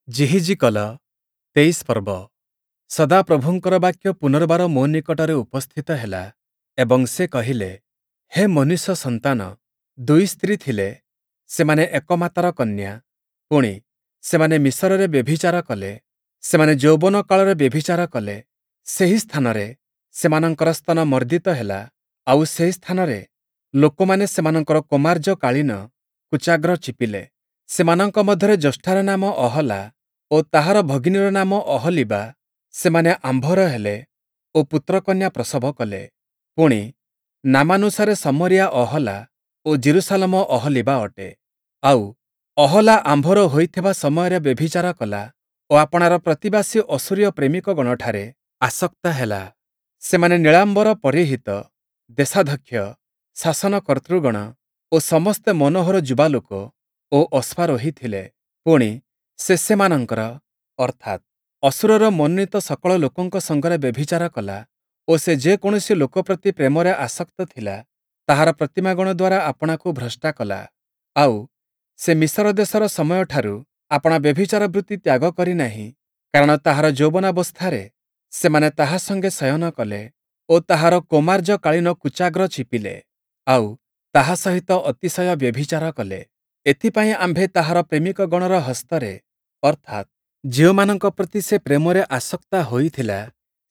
ଯିହିଜିକଲ ୨୩ ପର୍ବ। ସଦାପ୍ରଭୁଙ୍କର ବାକ୍ୟ ପୁନର୍ବାର ମୋ ନିକଟରେ ଉପସ୍ଥିତ ହେଲା ଏବଂ ସେ କହିଲେ, ହେ ମନୁଷ୍ୟ ସନ୍ତାନ, ଦୁଇ ସ୍ତ୍ରୀ ଥିଲେ, ସେମାନେ ଏକ ମାତାର କନ୍ୟା, ପୁଣି, ସେମାନେ ମିସରରେ ବ୍ୟଭିଚାର କଲେ, ସେମାନେ ଯୌବନ କାଳରେ ବ୍ୟଭିଚାର କଲେ। ସେହି ସ୍ଥାନରେ ସେମାନଙ୍କର ସ୍ତନ ମର୍ଦ୍ଦିତ ହେଲା, ଆଉ ସେହି ସ୍ଥାନରେ ଲୋକମାନେ ସେମାନଙ୍କର କୌମାର୍ଯ୍ୟକାଳୀନ କୁଚାଗ୍ର ଚିପିଲେ। ସେମାନଙ୍କ ମଧ୍ୟରେ ଜ୍ୟେଷ୍ଠାର ନାମ ଅହଲା ଓ ତାହାର ଭଗିନୀର ନାମ ଅହୋଲୀବା। ସେମାନେ ଆମ୍ଭର ହେଲେ ଓ ପୁତ୍ରକନ୍ୟା ପ୍ରସବ କଲେ। ପୁଣି, ନାମାନୁସାରେ ଶମରୀୟା ଅହଲା ଓ ଯିରୂଶାଲମ ଅହୋଲୀବା ଅଟେ। ଆଉ ଅହଲା ଆମ୍ଭର ହୋଇଥିବା ସମୟରେ ବ୍ୟଭିଚାର କଲା ଓ ଆପଣାର ପ୍ରତିବାସୀ ଅଶୂରୀୟ ପ୍ରେମିକଗଣଠାରେ ଆସକ୍ତା ହେଲା। ସେମାନେ ନୀଳାମ୍ବର ପରିହିତ, ଦେଶାଧ୍ୟକ୍ଷ, ଶାସନକର୍ତ୍ତୃଗଣ ଓ ସମସ୍ତେ ମନୋହର ଯୁବାଲୋକ ଓ ଅଶ୍ୱାରୋହୀ ଥିଲେ। ପୁଣି, ସେ ସେମାନଙ୍କର, ଅର୍ଥାତ୍ ଅଶୂରର ମନୋନୀତ ସକଳ ଲୋକଙ୍କ ସଙ୍ଗରେ ବ୍ୟଭିଚାର କଲା ଓ ସେ ଯେକୌଣସି ଲୋକ ପ୍ରତି ପ୍ରେମରେ ଆସକ୍ତ ଥିଲା, ତାହାର ପ୍ରତିମାଗଣ ଦ୍ୱାରା ଆପଣାକୁ ଭ୍ରଷ୍ଟା କଲା। ଆଉ ସେ ମିସର ଦେଶର ସମୟଠାରୁ ଆପଣା ବ୍ୟଭିଚାର ବୃତ୍ତି ତ୍ୟାଗ କରିନାହିଁ, କାରଣ ତାହାର ଯୌବନାବସ୍ଥାରେ ସେମାନେ ତାହା ସଙ୍ଗେ ଶୟନ କଲେ ଓ ତାହାର କୌମାର୍ଯ୍ୟକାଳୀନ କୁଚାଗ୍ର ଚିପିଲେ, ଆଉ ତାହା ସହିତ ଅତିଶୟ ବ୍ୟଭିଚାର କଲେ। ଏଥିପାଇଁ ଆମ୍ଭେ ତାହାର ପ୍ରେମିକଗଣର ହସ୍ତରେ, ଅର୍ଥାତ୍ ଯେଉଁମାନଙ୍କ ପ୍ରତି ସେ ପ୍ରେମରେ ଆସକ୍ତା ହୋଇଥିଲା,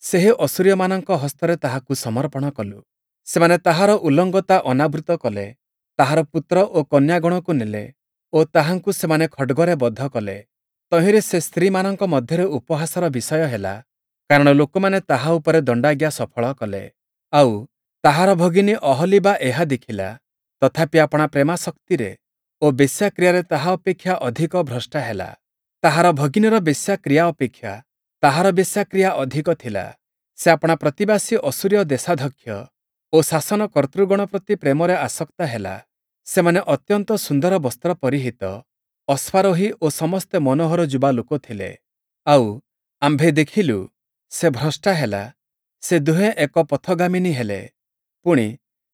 ସେହି ଅଶୂରୀୟମାନଙ୍କ ହସ୍ତରେ ତାହାକୁ ସମର୍ପଣ କଲୁ। ସେମାନେ ତାହାର ଉଲଙ୍ଗତା ଅନାବୃତ କଲେ, ତାହାର ପୁତ୍ର ଓ କନ୍ୟାଗଣକୁ ନେଲେ ଓ ତାହାଙ୍କୁ ସେମାନେ ଖଡ଼୍ଗରେ ବଧ କଲେ। ତହିଁରେ ସେ ସ୍ତ୍ରୀମାନଙ୍କ ମଧ୍ୟରେ ଉପହାସର ବିଷୟ ହେଲା, କାରଣ ଲୋକମାନେ ତାହା ଉପରେ ଦଣ୍ଡାଜ୍ଞା ସଫଳ କଲେ। ଆଉ ତାହାର ଭଗିନୀ ଅହୋଲୀବା ଏହା ଦେଖିଲା, ତଥାପି ଆପଣା ପ୍ରେମାସକ୍ତିରେ ଓ ବେଶ୍ୟାକ୍ରିୟାରେ ତାହା ଅପେକ୍ଷା ଅଧିକ ଭ୍ରଷ୍ଟା ହେଲା। ତାହାର ଭଗିନୀର ବେଶ୍ୟାକ୍ରିୟା ଅପେକ୍ଷା ତାହାର ବେଶ୍ୟାକ୍ରିୟା ଅଧିକ ଥିଲା। ସେ ଆପଣା ପ୍ରତିବାସୀ ଅଶୂରୀୟ ଦେଶାଧ୍ୟକ୍ଷ ଓ ଶାସନକର୍ତ୍ତୃଗଣ ପ୍ରତି ପ୍ରେମରେ ଆସକ୍ତା ହେଲା। ସେମାନେ ଅତ୍ୟନ୍ତ ସୁନ୍ଦର ବସ୍ତ୍ର ପରିହିତ, ଅଶ୍ୱାରୋହୀ ଓ ସମସ୍ତେ ମନୋହର ଯୁବା ଲୋକ ଥିଲେ। ଆଉ ଆମ୍ଭେ ଦେଖିଲୁ, ସେ ଭ୍ରଷ୍ଟା ହେଲା, ସେ ଦୁହେଁ ଏକ ପଥଗାମିନୀ ହେଲେ। ପୁଣି,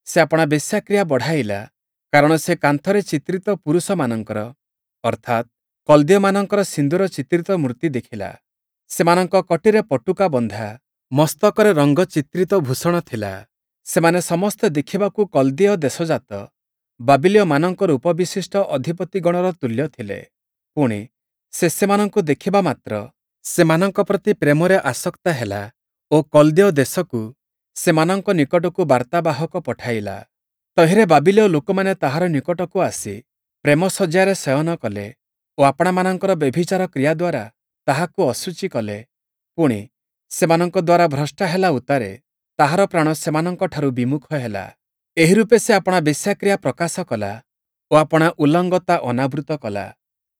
ସେ ଆପଣା ବେଶ୍ୟାକ୍ରିୟା ବଢ଼ାଇଲା, କାରଣ ସେ କାନ୍ଥରେ ଚିତ୍ରିତ ପୁରୁଷମାନଙ୍କର, ଅର୍ଥାତ୍ କଲ୍ଦୀୟମାନଙ୍କର ସିନ୍ଦୂର ଚିତ୍ରିତ ମୂର୍ତ୍ତି ଦେଖିଲା। ସେମାନଙ୍କ କଟିରେ ପଟୁକା ବନ୍ଧା, ମସ୍ତକରେ ରଙ୍ଗ ଚିତ୍ରିତ ଭୂଷଣ ଥିଲା। ସେମାନେ ସମସ୍ତେ ଦେଖିବାକୁ କଲ୍ଦୀୟ ଦେଶଜାତ ବାବିଲୀୟମାନଙ୍କ ରୂପ ବିଶିଷ୍ଟ ଅଧିପତିଗଣର ତୁଲ୍ୟ ଥିଲେ। ପୁଣି, ସେ ସେମାନଙ୍କୁ ଦେଖିବା ମାତ୍ର ସେମାନଙ୍କ ପ୍ରତି ପ୍ରେମରେ ଆସକ୍ତା ହେଲା ଓ କଲ୍ଦୀୟ ଦେଶକୁ ସେମାନଙ୍କ ନିକଟକୁ ବାର୍ତ୍ତାବାହକ ପଠାଇଲା। ତହିଁରେ ବାବିଲୀୟ ଲୋକମାନେ ତାହାର ନିକଟକୁ ଆସି ପ୍ରେମଶଯ୍ୟାରେ ଶୟନ କଲେ ଓ ଆପଣାମାନଙ୍କର ବ୍ୟଭିଚାର କ୍ରିୟା ଦ୍ୱାରା ତାହାକୁ ଅଶୁଚି କଲେ। ପୁଣି, ସେମାନଙ୍କ ଦ୍ୱାରା ଭ୍ରଷ୍ଟା ହେଲା ଉତ୍ତାରେ ତାହାର ପ୍ରାଣ ସେମାନଙ୍କଠାରୁ ବିମୁଖ ହେଲା। ଏହିରୂପେ ସେ ଆପଣା ବେଶ୍ୟାକ୍ରିୟା ପ୍ରକାଶ କଲା ଓ ଆପଣା ଉଲଙ୍ଗତା ଅନାବୃତ କଲା।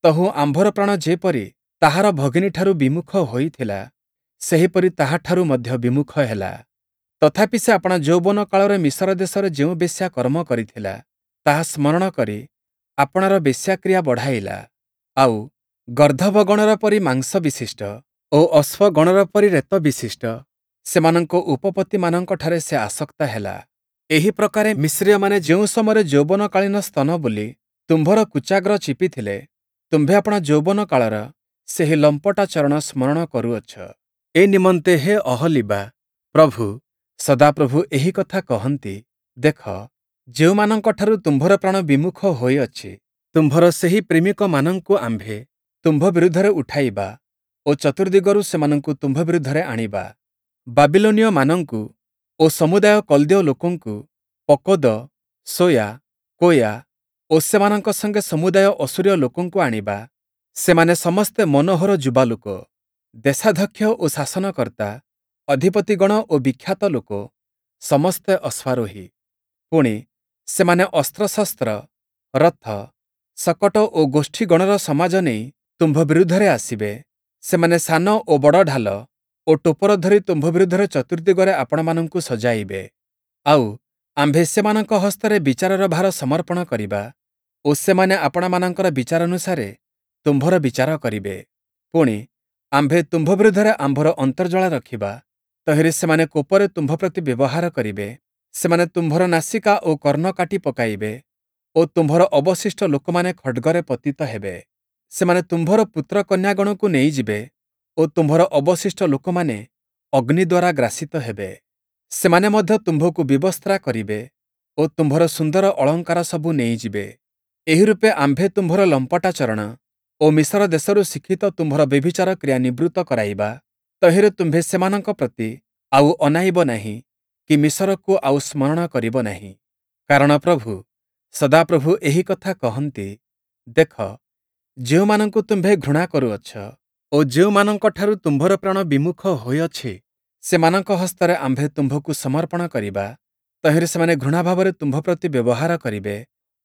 ତହୁଁ ଆମ୍ଭର ପ୍ରାଣ ଯେପରି ତାହାର ଭଗିନୀଠାରୁ ବିମୁଖ ହୋଇଥିଲା, ସେହିପରି ତାହାଠାରୁ ମଧ୍ୟ ବିମୁଖ ହେଲା। ତଥାପି ସେ ଆପଣା ଯୌବନ କାଳରେ ମିସର ଦେଶରେ ଯେଉଁ ବେଶ୍ୟା କର୍ମ କରିଥିଲା, ତାହା ସ୍ମରଣ କରି ଆପଣାର ବେଶ୍ୟାକ୍ରିୟା ବଢ଼ାଇଲା। ଆଉ ଗର୍ଦ୍ଦଭଗଣର ପରି ମାଂସ ବିଶିଷ୍ଟ ଓ ଅଶ୍ୱଗଣର ପରି ରେତ ବିଶିଷ୍ଟ ସେମାନଙ୍କ ଉପପତିମାନଙ୍କଠାରେ ସେ ଆସକ୍ତା ହେଲା। ଏହି ପ୍ରକାରେ ମିସ୍ରୀୟମାନେ ଯେଉଁ ସମୟରେ ଯୌବନକାଳୀନ ସ୍ତନ ବୋଲି ତୁମ୍ଭର କୁଚାଗ୍ର ଚିପିଥିଲେ, ତୁମ୍ଭେ ଆପଣା ଯୌବନ କାଳର ସେହି ଲମ୍ପଟାଚରଣ ସ୍ମରଣ କରୁଅଛ। ଏ ନିମନ୍ତେ ହେ ଅହୋଲୀବା, ପ୍ରଭୁ, ସଦାପ୍ରଭୁ ଏହି କଥା କହନ୍ତି, ଦେଖ, ଯେଉଁମାନଙ୍କଠାରୁ ତୁମ୍ଭର ପ୍ରାଣ ବିମୁଖ ହୋଇଅଛି, ତୁମ୍ଭର ସେହି ପ୍ରେମିକମାନଙ୍କୁ ଆମ୍ଭେ ତୁମ୍ଭ ବିରୁଦ୍ଧରେ ଉଠାଇବା ଓ ଚତୁର୍ଦ୍ଦିଗରୁ ସେମାନଙ୍କୁ ତୁମ୍ଭ ବିରୁଦ୍ଧରେ ଆଣିବା। ବାବିଲୋନୀୟମାନଙ୍କୁ ଓ ସମୁଦାୟ କଲ୍ଦୀୟ ଲୋକଙ୍କୁ, ପକୋଦ, ସୋୟା, କୋୟା ଓ ସେମାନଙ୍କ ସଙ୍ଗେ ସମୁଦାୟ ଅଶୂରୀୟ ଲୋକଙ୍କୁ ଆଣିବା। ସେମାନେ ସମସ୍ତେ ମନୋହର ଯୁବାଲୋକ, ଦେଶାଧ୍ୟକ୍ଷ ଓ ଶାସନକର୍ତ୍ତା, ଅଧିପତିଗଣ ଓ ବିଖ୍ୟାତ ଲୋକ, ସମସ୍ତେ ଅଶ୍ୱାରୋହୀ। ପୁଣି, ସେମାନେ ଅସ୍ତ୍ରଶସ୍ତ୍ର, ରଥ, ଶକଟ ଓ ଗୋଷ୍ଠୀଗଣର ସମାଜ ନେଇ ତୁମ୍ଭ ବିରୁଦ୍ଧରେ ଆସିବେ। ସେମାନେ ସାନ ଓ ବଡ଼ ଢାଲ ଓ ଟୋପର ଧରି ତୁମ୍ଭ ବିରୁଦ୍ଧରେ ଚତୁର୍ଦ୍ଦିଗରେ ଆପଣମାନଙ୍କୁ ସଜାଇବେ। ଆଉ ଆମ୍ଭେ ସେମାନଙ୍କ ହସ୍ତରେ ବିଚାରର ଭାର ସମର୍ପଣ କରିବା ଓ ସେମାନେ ଆପଣାମାନଙ୍କର ବିଚାରାନୁସାରେ ତୁମ୍ଭର ବିଚାର କରିବେ। ପୁଣି, ଆମ୍ଭେ ତୁମ୍ଭ ବିରୁଦ୍ଧରେ ଆମ୍ଭର ଅନ୍ତର୍ଜ୍ୱାଳା ରଖିବା, ତହିଁରେ ସେମାନେ କୋପରେ ତୁମ୍ଭ ପ୍ରତି ବ୍ୟବହାର କରିବେ। ସେମାନେ ତୁମ୍ଭର ନାସିକା ଓ କର୍ଣ୍ଣ କାଟି ପକାଇବେ ଓ ତୁମ୍ଭର ଅବଶିଷ୍ଟ ଲୋକମାନେ ଖଡ଼୍ଗରେ ପତିତ ହେବେ। ସେମାନେ ତୁମ୍ଭର ପୁତ୍ରକନ୍ୟାଗଣକୁ ନେଇଯିବେ ଓ ତୁମ୍ଭର ଅବଶିଷ୍ଟ ଲୋକମାନେ ଅଗ୍ନି ଦ୍ୱାରା ଗ୍ରାସିତ ହେବେ। ସେମାନେ ମଧ୍ୟ ତୁମ୍ଭକୁ ବିବସ୍ତ୍ରା କରିବେ ଓ ତୁମ୍ଭର ସୁନ୍ଦର ଅଳଙ୍କାରସବୁ ନେଇଯିବେ। ଏହିରୂପେ ଆମ୍ଭେ ତୁମ୍ଭର ଲମ୍ପଟାଚରଣ ଓ ମିସର ଦେଶରୁ ଶିକ୍ଷିତ ତୁମ୍ଭର ବ୍ୟଭିଚାର କ୍ରିୟା ନିବୃତ୍ତ କରାଇବା। ତହିଁରେ ତୁମ୍ଭେ ସେମାନଙ୍କ ପ୍ରତି ଆଉ ଅନାଇବ ନାହିଁ କି ମିସରକୁ ଆଉ ସ୍ମରଣ କରିବ ନାହିଁ। କାରଣ ପ୍ରଭୁ, ସଦାପ୍ରଭୁ ଏହି କଥା କହନ୍ତି, ଦେଖ, ଯେଉଁମାନଙ୍କୁ ତୁମ୍ଭେ ଘୃଣା କରୁଅଛ ଓ ଯେଉଁମାନଙ୍କଠାରୁ ତୁମ୍ଭର ପ୍ରାଣ ବିମୁଖ ହୋଇଅଛି, ସେମାନଙ୍କ ହସ୍ତରେ ଆମ୍ଭେ ତୁମ୍ଭକୁ ସମର୍ପଣ କରିବା। ତହିଁରେ ସେମାନେ ଘୃଣାଭାବରେ ତୁମ୍ଭ ପ୍ରତି ବ୍ୟବହାର କରିବେ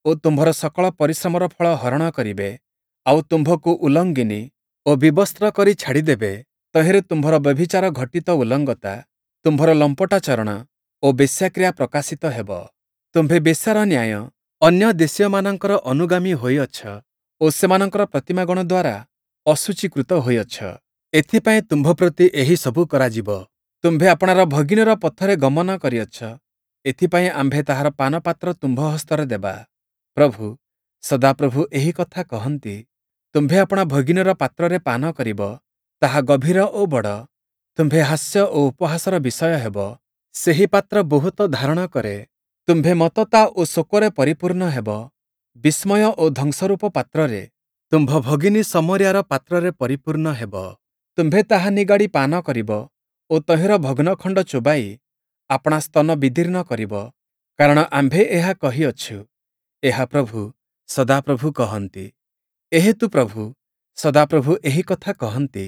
ଓ ତୁମ୍ଭର ସକଳ ପରିଶ୍ରମର ଫଳ ହରଣ କରିବେ, ଆଉ ତୁମ୍ଭକୁ ଉଲଙ୍ଗିନୀ ଓ ବିବସ୍ତ୍ର କରି ଛାଡ଼ିଦେବେ। ତହିଁରେ ତୁମ୍ଭର ବ୍ୟଭିଚାର ଘଟିତ ଉଲଙ୍ଗତା, ତୁମ୍ଭର ଲମ୍ପଟାଚରଣ ଓ ବେଶ୍ୟାକ୍ରିୟା ପ୍ରକାଶିତ ହେବ। ତୁମ୍ଭେ ବେଶ୍ୟାର ନ୍ୟାୟ ଅନ୍ୟ ଦେଶୀୟମାନଙ୍କର ଅନୁଗାମୀ ହୋଇଅଛ ଓ ସେମାନଙ୍କର ପ୍ରତିମାଗଣ ଦ୍ୱାରା ଅଶୁଚୀକୃତ ହୋଇଅଛ। ଏଥିପାଇଁ ତୁମ୍ଭ ପ୍ରତି ଏହି ସବୁ କରାଯିବ। ତୁମ୍ଭେ ଆପଣାର ଭଗିନୀର ପଥରେ ଗମନ କରିଅଛ, ଏଥିପାଇଁ ଆମ୍ଭେ ତାହାର ପାନପାତ୍ର ତୁମ୍ଭ ହସ୍ତରେ ଦେବା। ପ୍ରଭୁ, ସଦାପ୍ରଭୁ ଏହି କଥା କହନ୍ତି, ତୁମ୍ଭେ ଆପଣା ଭଗିନୀର ପାତ୍ରରେ ପାନ କରିବ, ତାହା ଗଭୀର ଓ ବଡ଼। ତୁମ୍ଭେ ହାସ୍ୟ ଓ ଉପହାସର ବିଷୟ ହେବ। ସେହି ପାତ୍ର ବହୁତ ଧାରଣ କରେ। ତୁମ୍ଭେ ମତ୍ତତା ଓ ଶୋକରେ ପରିପୂର୍ଣ୍ଣ ହେବ। ବିସ୍ମୟ ଓ ଧ୍ୱଂସରୂପ ପାତ୍ରରେ ତୁମ୍ଭ ଭଗିନୀ ଶମରୀୟାର ପାତ୍ରରେ ପରିପୂର୍ଣ୍ଣ ହେବ। ତୁମ୍ଭେ ତାହା ନିଗାଡ଼ି ପାନ କରିବ ଓ ତହିଁର ଭଗ୍ନଖଣ୍ଡ ଚୋବାଇ ଆପଣା ସ୍ତନ ବିଦୀର୍ଣ୍ଣ କରିବ। କାରଣ ଆମ୍ଭେ ଏହା କହିଅଛୁ, ଏହା ପ୍ରଭୁ, ସଦାପ୍ରଭୁ କହନ୍ତି। ଏହେତୁ ପ୍ରଭୁ, ସଦାପ୍ରଭୁ ଏହି କଥା କହନ୍ତି,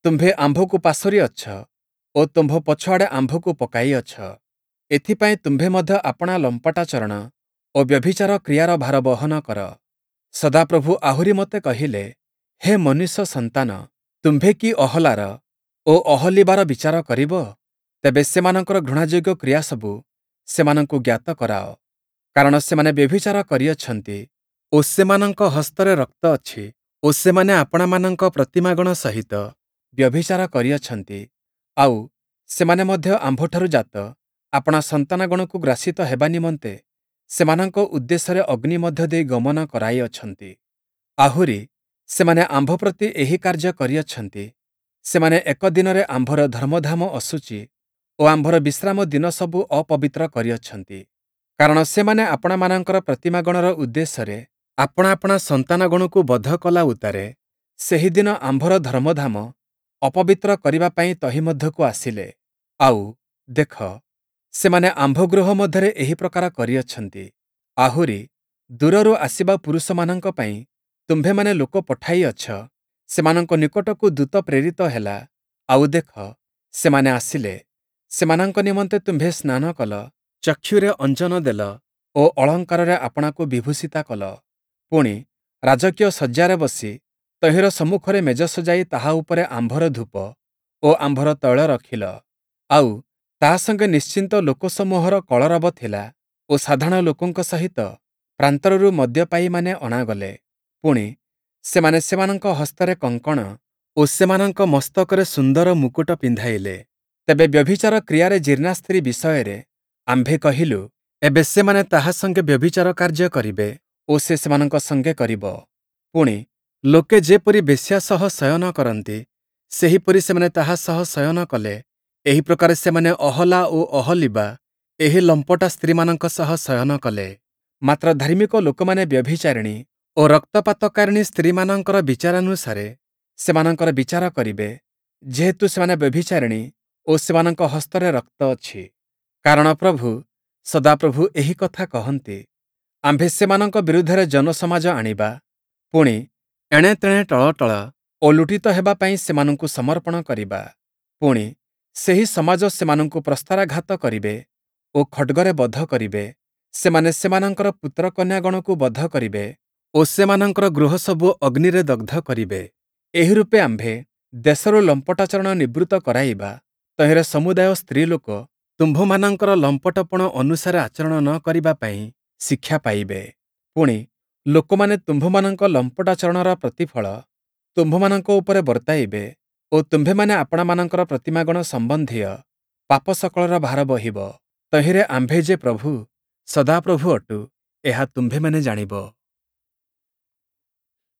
ତୁମ୍ଭେ ଆମ୍ଭକୁ ପାସୋରିଅଛ ଓ ତୁମ୍ଭ ପଛଆଡ଼େ ଆମ୍ଭକୁ ପକାଇଅଛ। ଏଥିପାଇଁ ତୁମ୍ଭେ ମଧ୍ୟ ଆପଣା ଲମ୍ପଟାଚରଣ ଓ ବ୍ୟଭିଚାର କ୍ରିୟାର ଭାର ବହନ କର। ସଦାପ୍ରଭୁ ଆହୁରି ମୋତେ କହିଲେ, ହେ ମନୁଷ୍ୟ ସନ୍ତାନ, ତୁମ୍ଭେ କି ଅହଲାର ଓ ଅହୋଲୀବାର ବିଚାର କରିବ? ତେବେ ସେମାନଙ୍କର ଘୃଣାଯୋଗ୍ୟ କ୍ରିୟାସବୁ ସେମାନଙ୍କୁ ଜ୍ଞାତ କରାଅ। କାରଣ ସେମାନେ ବ୍ୟଭିଚାର କରିଅଛନ୍ତି ଓ ସେମାନଙ୍କ ହସ୍ତରେ ରକ୍ତ ଅଛି ଓ ସେମାନେ ଆପଣାମାନଙ୍କ ପ୍ରତିମାଗଣ ସହିତ ବ୍ୟଭିଚାର କରିଅଛନ୍ତି, ଆଉ, ସେମାନେ ମଧ୍ୟ ଆମ୍ଭଠାରୁ ଜାତ ଆପଣା ସନ୍ତାନଗଣକୁ ଗ୍ରାସିତ ହେବା ନିମନ୍ତେ ସେମାନଙ୍କ ଉଦ୍ଦେଶ୍ୟରେ ଅଗ୍ନି ମଧ୍ୟ ଦେଇ ଗମନ କରାଇଅଛନ୍ତି। ଆହୁରି, ସେମାନେ ଆମ୍ଭ ପ୍ରତି ଏହି କାର୍ଯ୍ୟ କରିଅଛନ୍ତି, ସେମାନେ ଏକ ଦିନରେ ଆମ୍ଭର ଧର୍ମଧାମ ଅଶୁଚି ଓ ଆମ୍ଭର ବିଶ୍ରାମ ଦିନସବୁ ଅପବିତ୍ର କରିଅଛନ୍ତି। କାରଣ ସେମାନେ ଆପଣାମାନଙ୍କର ପ୍ରତିମାଗଣର ଉଦ୍ଦେଶ୍ୟରେ ଆପଣା ଆପଣା ସନ୍ତାନଗଣକୁ ବଧ କଲା ଉତ୍ତାରେ ସେହିଦିନ ଆମ୍ଭର ଧର୍ମଧାମ ଅପବିତ୍ର କରିବା ପାଇଁ ତହିଁ ମଧ୍ୟକୁ ଆସିଲେ। ଆଉ, ଦେଖ, ସେମାନେ ଆମ୍ଭ ଗୃହ ମଧ୍ୟରେ ଏହି ପ୍ରକାର କରିଅଛନ୍ତି। ଆହୁରି, ଦୂରରୁ ଆସିବା ପୁରୁଷମାନଙ୍କ ପାଇଁ ତୁମ୍ଭେମାନେ ଲୋକ ପଠାଇଅଛ, ସେମାନଙ୍କ ନିକଟକୁ ଦୂତ ପ୍ରେରିତ ହେଲା, ଆଉ ଦେଖ, ସେମାନେ ଆସିଲେ। ସେମାନଙ୍କ ନିମନ୍ତେ ତୁମ୍ଭେ ସ୍ନାନ କଲ, ଚକ୍ଷୁରେ ଅଞ୍ଜନ ଦେଲ ଓ ଅଳଙ୍କାରରେ ଆପଣାକୁ ବିଭୂଷିତା କଲ। ପୁଣି, ରାଜକୀୟ ଶଯ୍ୟାରେ ବସି ତହିଁର ସମ୍ମୁଖରେ ମେଜ ସଜାଇ ତାହା ଉପରେ ଆମ୍ଭର ଧୂପ ଓ ଆମ୍ଭର ତୈଳ ରଖିଲ। ଆଉ, ତା ସଙ୍ଗେ ନିଶ୍ଚିନ୍ତ ଲୋକସମୂହର କଳରବ ଥିଲା ଓ ସାଧାରଣ ଲୋକଙ୍କ ସହିତ ପ୍ରାନ୍ତରରୁ ମଦ୍ୟପାୟୀମାନେ ଅଣାଗଲେ। ପୁଣି, ସେମାନେ ସେମାନଙ୍କ ହସ୍ତରେ କଙ୍କଣ ଓ ସେମାନଙ୍କ ମସ୍ତକରେ ସୁନ୍ଦର ମୁକୁଟ ପିନ୍ଧାଇଲେ। ତେବେ ବ୍ୟଭିଚାର କ୍ରିୟାରେ ଜୀର୍ଣ୍ଣା ସ୍ତ୍ରୀ ବିଷୟରେ ଆମ୍ଭେ କହିଲୁ, ଏବେ ସେମାନେ ତାହା ସଙ୍ଗେ ବ୍ୟଭିଚାର କାର୍ଯ୍ୟ କରିବେ ଓ ସେ ସେମାନଙ୍କ ସଙ୍ଗେ କରିବ। ପୁଣି, ଲୋକେ ଯେପରି ବେଶ୍ୟା ସହ ଶୟନ କରନ୍ତି, ସେହିପରି ସେମାନେ ତାହା ସହ ଶୟନ କଲେ। ଏହି ପ୍ରକାରେ ସେମାନେ ଅହଲା ଓ ଅହୋଲୀବା ଏହି ଲମ୍ପଟା ସ୍ତ୍ରୀମାନଙ୍କ ସହ ଶୟନ କଲେ। ମାତ୍ର ଧାର୍ମିକ ଲୋକମାନେ ବ୍ୟଭିଚାରିଣୀ ଓ ରକ୍ତପାତକାରିଣୀ ସ୍ତ୍ରୀମାନଙ୍କର ବିଚାରାନୁସାରେ ସେମାନଙ୍କର ବିଚାର କରିବେ, ଯେହେତୁ ସେମାନେ ବ୍ୟଭିଚାରିଣୀ ଓ ସେମାନଙ୍କ ହସ୍ତରେ ରକ୍ତ ଅଛି। କାରଣ ପ୍ରଭୁ, ସଦାପ୍ରଭୁ ଏହି କଥା କହନ୍ତି, ଆମ୍ଭେ ସେମାନଙ୍କ ବିରୁଦ୍ଧରେ ଜନସମାଜ ଆଣିବା, ପୁଣି, ଏଣେ ତେଣେ ଟଳଟଳ ଓ ଲୁଟିତ ହେବା ପାଇଁ ସେମାନଙ୍କୁ ସମର୍ପଣ କରିବା। ପୁଣି, ସେହି ସମାଜ ସେମାନଙ୍କୁ ପ୍ରସ୍ତରାଘାତ କରିବେ ଓ ଖଡ଼୍ଗରେ ବଧ କରିବେ। ସେମାନେ ସେମାନଙ୍କର ପୁତ୍ରକନ୍ୟାଗଣକୁ ବଧ କରିବେ ଓ ସେମାନଙ୍କର ଗୃହସବୁ ଅଗ୍ନିରେ ଦଗ୍ଧ କରିବେ। ଏହିରୂପେ ଆମ୍ଭେ ଦେଶରୁ ଲମ୍ପଟାଚରଣ ନିବୃତ୍ତ କରାଇବା। ତହିଁରେ ସମୁଦାୟ ସ୍ତ୍ରୀଲୋକ ତୁମ୍ଭମାନଙ୍କର ଲମ୍ପଟପଣ ଅନୁସାରେ ଆଚରଣ ନ କରିବା ପାଇଁ ଶିକ୍ଷା ପାଇବେ। ପୁଣି, ଲୋକମାନେ ତୁମ୍ଭମାନଙ୍କ ଲମ୍ପଟାଚରଣର ପ୍ରତିଫଳ ତୁମ୍ଭମାନଙ୍କ ଉପରେ ବର୍ତ୍ତାଇବେ ଓ ତୁମ୍ଭେମାନେ ଆପଣାମାନଙ୍କର ପ୍ରତିମାଗଣ ସମ୍ବନ୍ଧୀୟ ପାପ ସକଳର ଭାର ବହିବ। ତହିଁରେ ଆମ୍ଭେ ଯେ ପ୍ରଭୁ, ସଦାପ୍ରଭୁ ଅଟୁ, ଏହା ତୁମ୍ଭେମାନେ ଜାଣିବ।